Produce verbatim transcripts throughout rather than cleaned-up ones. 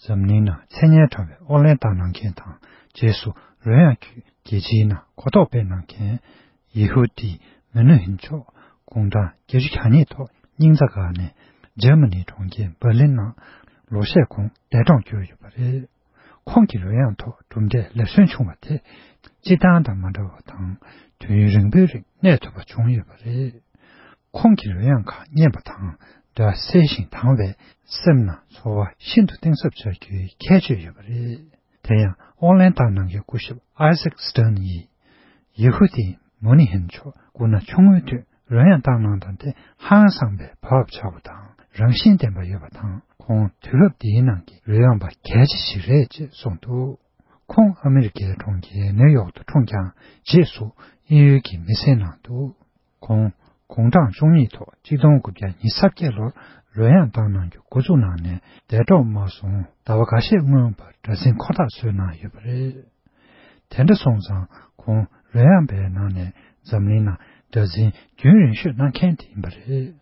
འཛམ་གླིང་ནང་མཚན་སྙན་གྲགས་པའི་ཨོ་གླན་བཏང་གནང་མཁན་དང་། རྗེས་སུ་རོལ་དབྱངས་ཀྱི་རྒྱལ་སྤྱིའི་ནང་གོ་རྟོགས་སྤེལ་གནང་མཁན་ཡེ་ཧུ་དི་མུ་ནུ་ཧིན་མཆོག་དགུང་གྲངས་བརྒྱད་ཅུ་གྱ་གཉིས་ཐོག་སྙིང་རྩ་འགག་ནས་འཇར་མ་ནིའི་གྲོང་ཁྱེར་འབར་ལིན་ནང་ལོ་ཤས་གོང་འདས་གྲོངས་གྱུར་ཡོད་པ་རེད། ཁོང་གི་རོལ་དབྱངས་ཐོག་གྲུབ་འབྲས་ལེགས་སོན་བྱུང་བ་དེ་སྤྱིར་བཏང་དང་མ་འདྲ་བ་དང་། དུས་ཡུན་རིང་པོའི་རིང་གནས་ཐུབ་པ་བྱུང་ཡོད་པ་རེད། ཁོང་གི་རོལ་དབྱངས་ཁག་སྙན་པ་དང་སྒྲ་གསལ་ཞིང་དྭངས་པས་སེམས་ནང་ཚོར་བ་ཤིན་ཏུ་གཏིང་ཟབ་འཆར་རྒྱུའི་ཁྱད་ཆོས་ཡོད་པ་རེད། དེ་ཡང་ཨོ་གླན་བཏང་གནང་མཁན་སྐུ་ཞབས་ཨའི་ཟེག་སི་ཏན་ཡིས། ཡེ་ཧུ་དི་མུ་ནི་ཧིན་མཆོག་སྐུ་ན་ཆུང་ངུའི་དུས་རོལ་དབྱངས་བཏང་གནང་སྟངས་དེ་ཧང་སངས་པའི་བབ་ཆགས་པ་དང་རང་བཞིན་ལྡན་པ་ཡོད་པ་དང་། ཁོང་དུས་རབས་འདིའི་ནང་གི་རོལ་དབྱངས་པ་གལ་ཆེ་ཞིག་རེད་ཅེས་གསུངས་འདུག་ཁོང་ཨ་མི་རི་ཀའི་གྲོང་ཁྱེར་ནིའུ་ཡོག་ཏུ་འཁྲུངས་ཀྱང་། རྗེས་སུ་དབྱིན་ཡུལ་གྱི་མི་སེར་གནང་འདུག་ཁོང་དགུང་གྲངས་བཅུ་གཉིས་ཐོག་གཅིག་སྟོང་དགུ་བརྒྱ་ཉི་ཤུ་རྩ་བརྒྱད་ལོར་རོལ་དབྱངས་བཏང་གནང་རྒྱུ་འགོ་བཙུགས་གནང་ནས་འདས་གྲོངས་མ་སོང་ཟླ་བ་འགའ་ཤས་སྔོན་པར་སྒྲ་འཛིན་འཁོར་ཐག་བཟོས་གནང་ཡོད་པ་རེད། དེ་འདྲ་སོང་ཙང་ཁོང་རོལ་དབྱངས་པའི་ནང་ནས་འཛམ་གླིང་ནང་སྒྲ་འཛིན་རྒྱུན་རིང་ཤོས་གནང་མཁན་དེ་ཡིན་པ་རེད།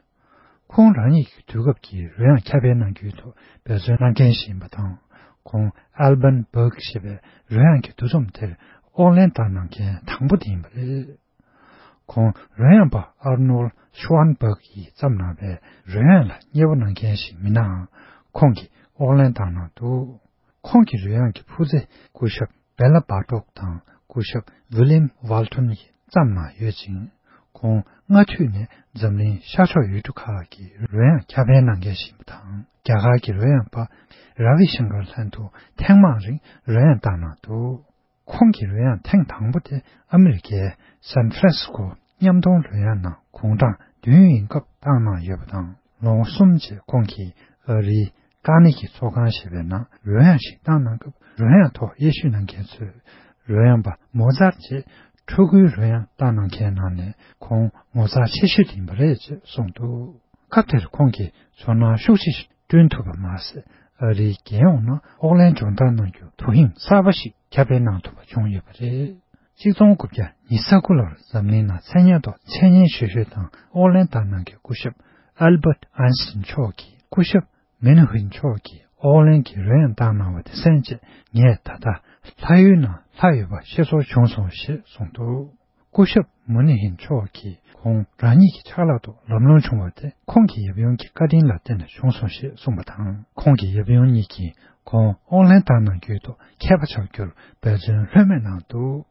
ཁོང་རང་ཉིད་ཀྱི་དུས་སྐབས་ཀྱི་རོལ་དབྱངས་ཁྱབ་སྤེལ་གནང་རྒྱུའི་ཐོག་འབད་བརྩོན་གནང་མཁན་ཞིག་ཡིན་པ་དང་། ཁོང་ཨལ་བན་བག་ཞེས་པའི་རོལ་དབྱངས་ཀྱི་འདུ་འཛོམས་དེར་ཨོག་ལན་བཏང་གནང་མཁན་དང་པོ་དེ་ཡིན་པ་རེད། ཁོང་རོལ་དབྱངས་པ་ཨར་ནོལ་ཤུ་ཝན་བག་གིས་བརྩམས་གནང་བའི་རོལ་དབྱངས་ལ་མཉེས་པོ་གནང་མཁན་ཞིག་མིན་ནའང་། ཁོང་གིས་ཨོག་ལན་བཏང་གནང་འདུག་ཁོང་གི་རོལ་དབྱངས་ཀྱི་སྤུས་ཚད་སྐུ་ཞབས་བེ་ལ་བྷ་ཏོག་དང་སྐུ་ཞབས་ཝི་ལིམ་ཝལ་ཐོན་གྱིས་བརྩམས་གནང་ཡོད་ཅིང་། ཁོང་སྔ་དུས་ནས་འཛམ་གླིང་ཤར་ཕྱོགས་ཡུལ་གྲུ་ཁག་གི་རོལ་དབྱངས་ཁྱབ་སྤེལ་གནང་མཁན་ཞིག་ཡིན་པ་དང་། རྒྱ་གར་གྱི་རོལ་དབྱངས་པ་ར་བི་ཤང་ཀར་ལྷན་དུ་ཐེངས་མང་རིང་རོལ་དབྱངས་བཏང་གནང་འདུག་ཁོང་གི་རོལ་དབྱངས་ཐེངས་དང་པོ་དེ་ཨ་མི་རི་ཀའི་སན་ཧྥ་རན་སི་སྐོ་མཉམ་མཐོང་རོལ་དབྱངས་ནང་དགུང་གྲངས་བདུན་ཡིན་སྐབས་བཏང་གནང་ཡོད་པ་དང་། ལོ་ངོ་གསུམ་རྗེས་ཁོང་གིས་ཨ་རིའི་ཀ་ནེ་གི་ཚོགས་ཁང་ཞེས་པའི་ནང་རོལ་དབྱངས་ཤིག་བཏང་གནང་སྐབས། རོལ་དབྱངས་ཐོག་དབྱེ་ཞིབ་གནང་མཁན་ཚོས་རོལ་དབྱངས་པ་མོ་ཛར་ཅེས་ཕྲུ་གུའི་རོལ་དབྱངས་བཏང་གནང་མཁན་ནང་ནས་ཁོང་ངོ་མཚར་ཆེ་ཤོས་དེ་ཡིན་པ་རེད་ཅེས་གསུངས་འདུག་སྐབས་དེར་ཁོང་གིས་ཚོར་སྣང་ཤུགས་ཆེ་ཞིག་བསྐྲུན་ཐུབ་པ་མ་ཟད། ཨ་རིའི་རྒྱལ་ཡོངས་ནང་ཨོག་ལན་སྦྱོང་བརྡར་གནང་རྒྱུར་དོ་ཧིང་གསར་པ་ཞིག་ཁྱབ་སྤེལ་གནང་ཐུབ་པ་བྱུང་ཡོད་པ་རེད། གཅིག་སྟོང་དགུ་བརྒྱ་ཉི་ཤུ་རྩ་དགུ་ལོར་འཛམ་གླིང་ནང་མཚན་སྙན་ཐོག་འཆད་ཉན་ཞུ་ཞུས་དང་ཨོག་ལན་བཏང་གནང་མཁན་སྐུ་ཞབས་ཨལ་བྷར་ཨན་སི་ཊིན་མཆོག་གིས། སྐུ་ཞབས་མེ་ནུ་ཧུན་མཆོག་གིས་ཨོག་ལན་གྱི་རོལ་དབྱངས་བཏང་གནང་བ་དེ་གསན་རྗེས། ངས་ད་ལྟ་ལྷ་ཡུལ་ནང་ལྷག་ཡོད་པ་ཤེས་ཚོར་བྱུང་སོང་ཞེས་གསུངས་འདུག་སྐུ་ཞབས་མུ་ནི་ཧིན་མཆོག་གིས་ཁོང་རང་ཉིད་ཀྱི་ཕྱག་ལག་ཏུ་ལམ་ལྷོང་བྱུང་བ་དེ་ཁོང་གི་ཡབ་ཡུམ་གྱི་བཀའ་དྲིན་ལ་བརྟེན་ནས་བྱུང་སོང་ཞེས་གསུངས་པ་དང་། ཁོང་གི་ཡབ་ཡུམ་གཉིས་ཀྱིས་ཁོང་ཨོག་ལན་བཏང་གནང་རྒྱུའི་ཐོག་མཁས་པ་ཆགས་རྒྱུར་འབད་བརྩོན་ལྷོད་མེད་གནང་འདུག་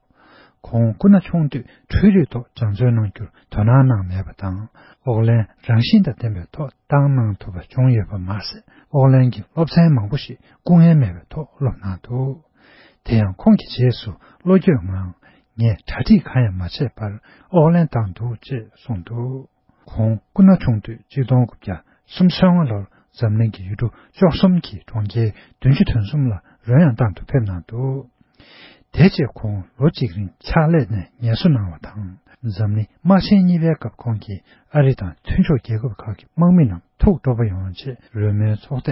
ཁོང་སྐུ་ན་ཆུང་དུས་འཕྲུལ་རིག་ཐོག་སྦྱང་བརྩོན་གནང་རྒྱུར་དོ་སྣང་གནང་མེད་པ་དང་། ཨོག་ལན་རང་བཞིན་དང་ལྡན་པའི་ཐོག་བཏང་གནང་ཐུབ་པ་བྱུང་ཡོད་པ་མ་ཟད། ཨོག་ལན་གྱི་སློབ་ཚན་མང་པོ་ཞིག་སྐུ་ངལ་མེད་པའི་ཐོག་སློབ་གནང་འདུག་དེ་ཡང་ཁོང་གིས་རྗེས་སུ་བློ་འགྱོད་ངང་། ངས་གྲ་སྒྲིག་གང་ཡང་མ་བྱས་པར་ཨོག་ལན་བཏང་འདུག་ཅེས་གསུངས་འདུག་ཁོང་སྐུ་ན་ཆུང་དུས་གཅིག་སྟོང་དགུ་བརྒྱ་སུམ་ཅུ་སོ་ལྔ་ལོར་འཛམ་གླིང་གི་ཡུལ་གྲུ་བཅུ་གསུམ་གྱི་གྲོང་ཁྱེར་བདུན་ཅུ་དོན་གསུམ་ལ་རོལ་དབྱངས་བཏང་དུ་ཕེབས་གནང་འདུག་དེ་རྗེས་ཁོང་ལོ་གཅིག་རིང་ཕྱག་ལས་ནས་ངལ་གསོ་གནང་བ་དང་། འཛམ་གླིང་དམག་ཆེན་གཉིས་པའི་སྐབས་ཁོང་གིས་ཨ་རི་དང་མཐུན་ཕྱོགས་རྒྱལ་ཁབ་ཁག་གི་དམག་མི་རྣམས་ཐུགས་སྤྲོ་པོ་ཡོང་ཆེད་རོལ་མོའི་ཚོགས་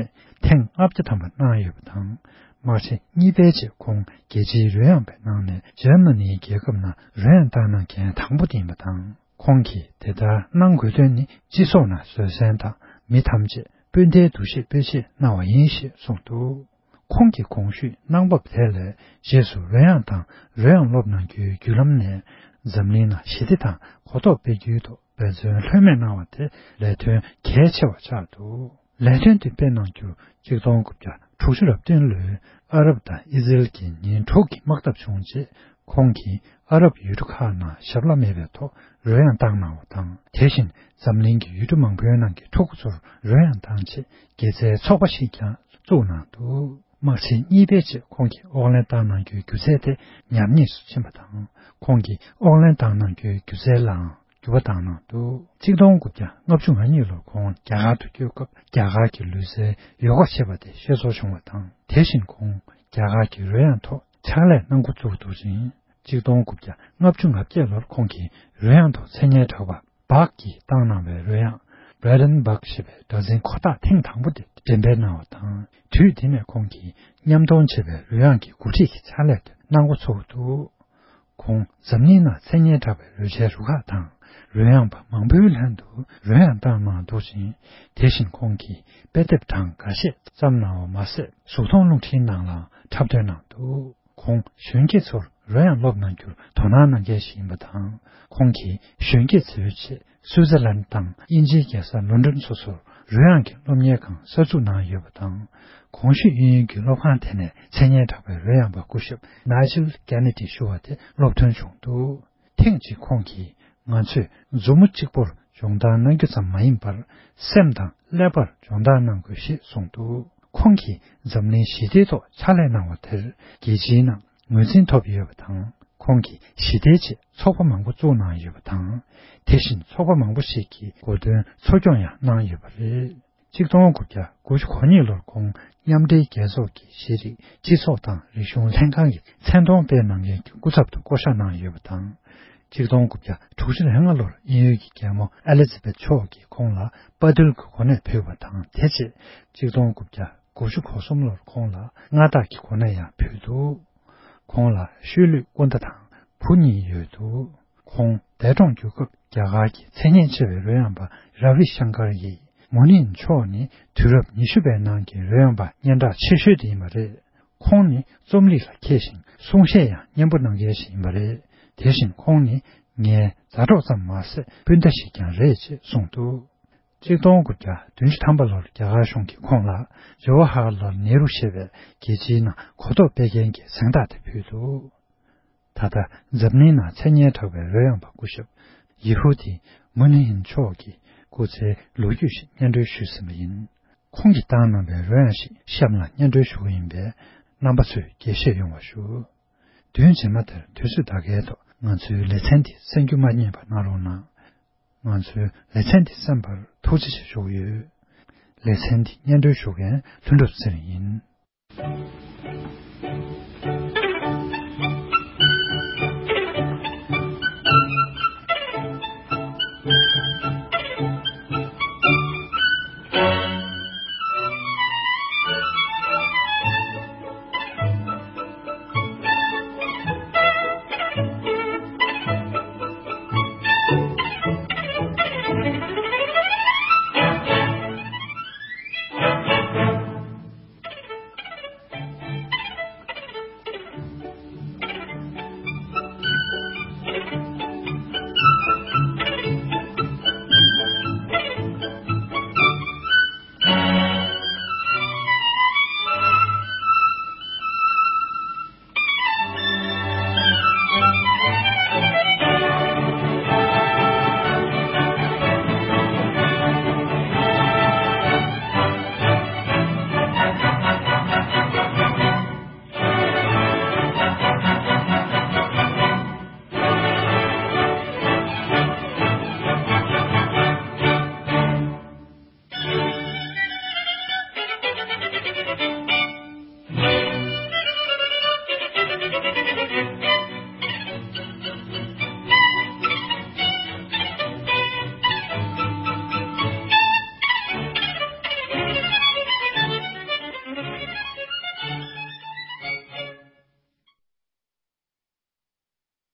ཐེངས་ལྔ་བརྒྱ་ཐམ་པ་གནང་ཡོད་པ་དང་། དམག་ཆེན་གཉིས་པའི་རྗེས་ཁོང་རྒྱལ་སྤྱིའི་རོལ་དབྱངས་པའི་ནང་ནས་འཇར་མ་ནིའི་རྒྱལ་ཁབ་ནང་རོལ་དབྱངས་བཏང་གནང་མཁན་དང་པོ་དེ་ཡིན་པ་དང་། ཁོང་གིས་དེ་ལྟར་གནང་དགོས་དོན་ནི་སྤྱི་ཚོགས་ནང་བཟོད་བསྲན་དང་མི་ཐམས་ཅད་སྤུན་ཟླའི་འདུ་ཤེས་སྤེལ་ཆེད་གནང་བ་ཡིན་ཞེས་གསུངས་འདུག་ཁོང་གི་གོང་ཞུས་གནང་བབ་དེ་ལས་རྗེས་སུ་རོལ་དབྱངས་དང་རོལ་དབྱངས་སློབ་གནང་རྒྱུའི་བརྒྱུད་ལམ་ནས་འཛམ་གླིང་ནང་ཞི་བདེ་དང་གོ་རྟོགས་སྤེལ་རྒྱུའི་ཐོག་འབད་བརྩོན་ལྷོད་མེད་གནང་བ་དེ་ལས་དོན་གལ་ཆེ་བ་ཆགས་འདུག་ལས་དོན་དེ་སྤེལ་གནང་རྒྱུར་གཅིག་སྟོང་དགུ་བརྒྱ་དྲུག་ཅུ་རེ་བདུན་ལོའི་ཨ་རབ་དང་ཨི་ཟི་རེལ་གྱི་ཉིན་དྲུག་གི་དམག་འཐབ་བྱུང་རྗེས། ཁོང་གིས་ཨ་རབ་ཡུལ་གྲུ་ཁག་ནང་ཞབས་ལྷག་མེད་པའི་ཐོག་རོལ་དབྱངས་བཏང་གནང་བ་དང་། དེ་བཞིན་འཛམ་གླིང་གི་ཡུལ་གྲུ་མང་པོའི་ནང་གི་ཕྲུ་གུ་ཚོར་རོལ་དབྱངས་བཏང་ཆེད་དགེ་རྩའི་ཚོགས་པ་ཞིག་ཀྱང་བཙུགས་གནང་འདུག་དམག་ཆེན་གཉིས་པའི་རྗེས་ཁོང་གིས་ཨོག་ལན་བཏང་གནང་རྒྱུའི་སྒྱུ་རྩལ་དེ་ཉམས་ཉེས་སུ་ཕྱིན་པ་དང་། ཁོང་གིས་ཨོག་ལན་བཏང་གནང་རྒྱུའི་སྒྱུ་རྩལ་ལའང་འགྱུར་བ་བཏང་གནང་འདུག་གཅིག་སྟོང་དགུ་བརྒྱ་ལྔ་བཅུ་ང་གཉིས་ལོར་ཁོང་རྒྱ་གར་དུ་བསྐྱོད་སྐབས། རྒྱ་གར་གྱི་ལུས་རྩལ་ཡོ་ག་བྱེད་པ་དེ་ཤེས་ཚོར་བྱུང་བ་དང་། དེ་བཞིན་ཁོང་རྒྱ་གར་གྱི་རོལ་དབྱངས་ཐོག་ཕྱག་ལས་གནང་འགོ་བཙུགས་འདུག་ཅིང་། གཅིག་སྟོང་དགུ་བརྒྱ་ལྔ་བཅུ་ང་བརྒྱད་ལོར་ཁོང་གིས་རོལ་དབྱངས་ཐོག་མཚན་སྙན་གྲགས་པ་བྷག་གིས་བཏང་གནང་བའི་རོལ་དབྱངས་བྷེ་རན་བྷག་ཞེས་པའི་སྒྲ་འཛིན་འཁོར་ཐག་ཐེངས་དང་པོ་དེ་འགྲེམས་སྤེལ་གནང་བ་དང་། དུས་དེ་ནས་ཁོང་གིས་མཉམ་མཐོང་བྱེད་པའི་རོལ་དབྱངས་ཀྱི་འགོ་ཁྲིད་ཀྱི་ཕྱག་ལས་དེ་གནང་འགོ་ཚུགས་འདུག་ཁོང་འཛམ་གླིང་ནང་མཚན་སྙན་གྲགས་པའི་རོལ་ཆའི་རུ་ཁག་དང་ རོལ་དབྱངས་པ་མང་པོའི་ལྷན་དུ་རོལ་དབྱངས་བཏང་གནང་འདུག་ཅིང་། དེ་བཞིན་ཁོང་གིས་དཔེ་དེབ་གྲངས་འགའ་ཤས་བརྩམས་གནང་བ་མ་ཟད། གཟུགས་མཐོང་རླུང་འཕྲིན་ནང་ལའང་འཁྲབ་སྟོན་གནང་འདུག་ཁོང་གཞོན་སྐྱེས་ཚོར་རོལ་དབྱངས་སློབ་གནང་རྒྱུར་དོ་སྣང་གནང་མཁན་ཞིག་ཡིན་པ་དང་། ཁོང་གིས་གཞོན་སྐྱེས་ཚོའི་ཆེད་སུའི་ཙེར་ལན་དང་དབྱིན་ཇིའི་རྒྱལ་ས་ལོན་ཌོན་སོ་སོར་རོལ་དབྱངས་ཀྱི་སློབ་གཉེར་ཁང་གསར་འཛུགས་གནང་ཡོད་པ་དང་། གོང་ཞུས་དབྱིན་ཡུལ་གྱི་སློབ་ཁང་དེ་ནས་མཚན་སྙན་གྲགས་པའི་རོལ་དབྱངས་པ་སྐུ་ཞབས་Nigel Kennedy ཞུ་བ་དེ་སློབ་ཐོན་བྱུང་འདུག་ཐེངས་གཅིག་ཁོང་གིས། ང་ཚོས་མཛུབ་མོ་གཅིག་པོར་སྦྱོང་བརྡར་གནང་རྒྱུ་ཙམ་མ་ཡིན་པར། སེམས་དང་ཀླད་པར་སྦྱོང་བརྡར་གནང་དགོས་ཞེས་གསུངས་འདུག་ཁོང་གིས་འཛམ་གླིང་ཞི་བདེའི་ཐོག་ཕྱག་ལས་གནང་བ་དེར། རྒྱལ་སྤྱིའི་ནང་ངོས་འཛིན་ཐོབ་ཡོད་པ་དང་། ཁོང་གིས་ཞི་བདེའི་ཆེད་ཚོགས་པ་མང་པོ་བཙུགས་གནང་ཡོད་པ་དང་། དེ་བཞིན་ཚོགས་པ་མང་པོ་ཞིག་གི་འགོ་འདྲེན་འཚོ་སྐྱོང་ཡང་གནང་ཡོད་པ་རེད། གཅིག་སྟོང་དགུ་བརྒྱ་དགུ་བཅུ་གོ་གཉིས་ལོར་ཁོང་མཉམ་འབྲེལ་རྒྱལ་ཚོགས་ཀྱི་ཤེས་རིག་སྤྱི་ཚོགས་དང་རིག་གཞུང་ལྷན་ཁང་གི་མཚན་མཐོང་སྤེལ་གནང་མཁན་གྱི་སྐུ་ཚབ་ཏུ་བསྐོ་བཞག་གནང་ཡོད་པ་དང་། གཅིག་སྟོང་དགུ་བརྒྱ་དྲུག་ཅུ་རེ་ལྔ་ལོར་དབྱིན་ཡུལ་གྱི་རྒྱལ་མོ་ཨེ་ལི་ཛ་བེད་མཆོག་གིས་ཁོང་ལ་དཔའ་རྟུལ་གྱི་གོ་གནས་ཕུལ་བ་དང་། དེ་རྗེས་གཅིག་སྟོང་དགུ་བརྒྱ་དགུ་བཅུ་གོ་གསུམ་ལོར་ཁོང་ལ་མངའ་བདག་གི་གོ་གནས་ཡང་ཕུལ་འདུག་ཁོང་ལ་ཤུལ་ལུས་སྐུ་ཟླ་དང་བུ་གཉིས་ཡོད་འདུག་ཁོང་འདས་གྲོངས་གྱུར་སྐབས། རྒྱ་གར་གྱི་མཚན་སྙན་ཆེ་བའི་རོལ་དབྱངས་པ་ར་བི་ཤང་ཀར་ཡིས། མུ་ནི་མཆོག་ནི་དུས་རབས་ཉི་ཤུ་པའི་ནང་གི་རོལ་དབྱངས་པ་སྙན་གྲགས་ཆེ་ཤོས་དེ་ཡིན་པ་རེད། ཁོང་ནི་རྩོམ་རིག་ལ་མཁས་ཤིང་། གསུང་བཤད་ཡང་སྙན་པོ་གནང་མཁན་ཞིག་ཡིན་པ་རེད། དེ་བཞིན་ཁོང་ནི་ངའི་མཛའ་གྲོགས་ཙམ་མ་ཟད། སྤུན་ཟླ་ཞིག་ཀྱང་རེད་ཅེས་གསུངས་འདུག་གཅིག་སྟོང་དགུ་བརྒྱ་བདུན་ཅུ་ཐམ་པ་ལོར་རྒྱ་གར་གཞུང་གིས་ཁོང་ལ་ཇ་ཝ་ཧར་ལཱལ་ནེ་རུ་ཞེས་པའི་རྒྱལ་སྤྱིའི་ནང་གོ་རྟོགས་སྤེལ་མཁན་གྱི་གཟེངས་རྟགས་དེ་ཕུལ་འདུག་ད་ལྟ་འཛམ་གླིང་ནང་མཚན་སྙན་གྲགས་པའི་རོལ་དབྱངས་པ་སྐུ་ཞབས་ཡེ་ཧུ་དི་མུ་ནི་ཧིན་མཆོག་གི་སྐུ་ཚེའི་ལོ་རྒྱུས་ཤིག་སྙན་སྒྲོན་ཞུས་ཟིན་པ་ཡིན། ཁོང་གིས་བཏང་གནང་བའི་རོལ་དབྱངས་ཤིག་གཤམ་ལ་སྙན་སྒྲོན་ཞུ་གི་ཡིན་པས། རྣམ་པ་ཚོས་རྒྱས་བཤད་ཡོང་བ་ཞུ། བདུན་རྗེས་མ་དེར་དུས་ཚོད་ད་གའི་ཐོག་ང་ཚོའི་ལེ་ཚན་འདི་གསན་རྒྱུ་མ་བསྙེལ་བ་གནང་རོགས་གནང་། ང་ཚོའི་ལེ་ཚན་འདི་གསན་པར་ཐུགས་རྗེ་ཆེ་ཞུ་གི་ཡོད། ལེ་ཚན་འདི་སྙན་སྒྲོན་ཞུ་མཁན་ལྷུན་གྲུབ་ཚེ་རིང་ཡིན།